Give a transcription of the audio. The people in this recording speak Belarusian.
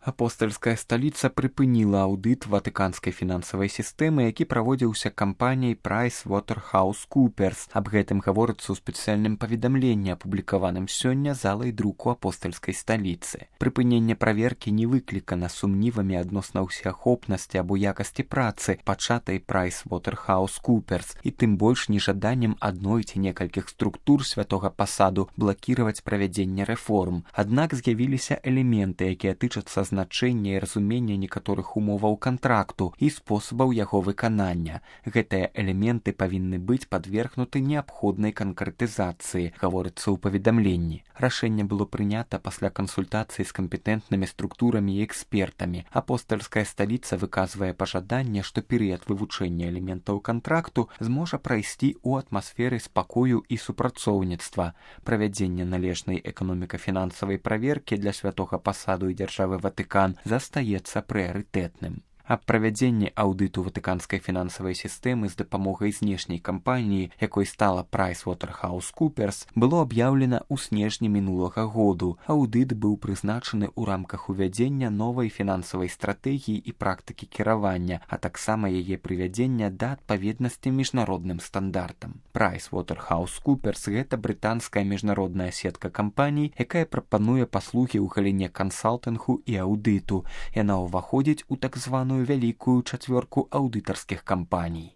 Апостальская сталіца прыпыніла аўдыт ватыканскай фінансавай сістэмы, які праводзіўся кампаніяй PricewaterhouseCoopers. Аб гэтым гаворыцца ў спецыяльным паведамленні, апублікаваным сёння залай друку апостальскай сталіцы. Прыпыненне праверкі не выклікана сумнівамі адносна ўсеахопнасці або якасці працы, пачатай PricewaterhouseCoopers, і тым больш нежаданнем адной ці некалькіх структур святога пасаду блакіраваць правядзенне рэформ. Аднак з'явіліся элементы, якія тычацца значэння і разумення некаторых умоваў кантракту і спосабаў яго выканання. Гэтыя элементы павінны быць падвергнуты неабходнай канкрэтызацыі, гаворыцца ў паведамленні. Рашэнне было прынята пасля кансультацыі з кампетэнтнымі структурамі і экспертамі. Апостальская сталіца выказвае пажаданне, што перыяд вывучэння элементаў кантракту зможа прайсці ў атмасферы спакою і супрацоўніцтва. Правядзенне належнай эканоміка-фінансавай праверкі для святога пасаду і дзяржавы Ватыкан застаецца прыярытэтным. Аб правядзенні аўдыту ватыканскай фінансавай сістэмы з дапамогай знешняй кампаніі, якой стала PricewaterhouseCoopers, было аб'яўлена ў снежні мінулага году. Аўдыт быў прызначаны ў рамках увядзення новай фінансавай стратэгіі і практыкі кіравання, а таксама яе прывядзення да адпаведнасці міжнародным стандартам. PricewaterhouseCoopers – гэта брытанская міжнародная сетка кампаній, якая прапануе паслугі ў галіне кансалтынгу і аўдыту. Яна ўваходзіць у так званую вялікую чацвёрку аўдытарскіх кампаній.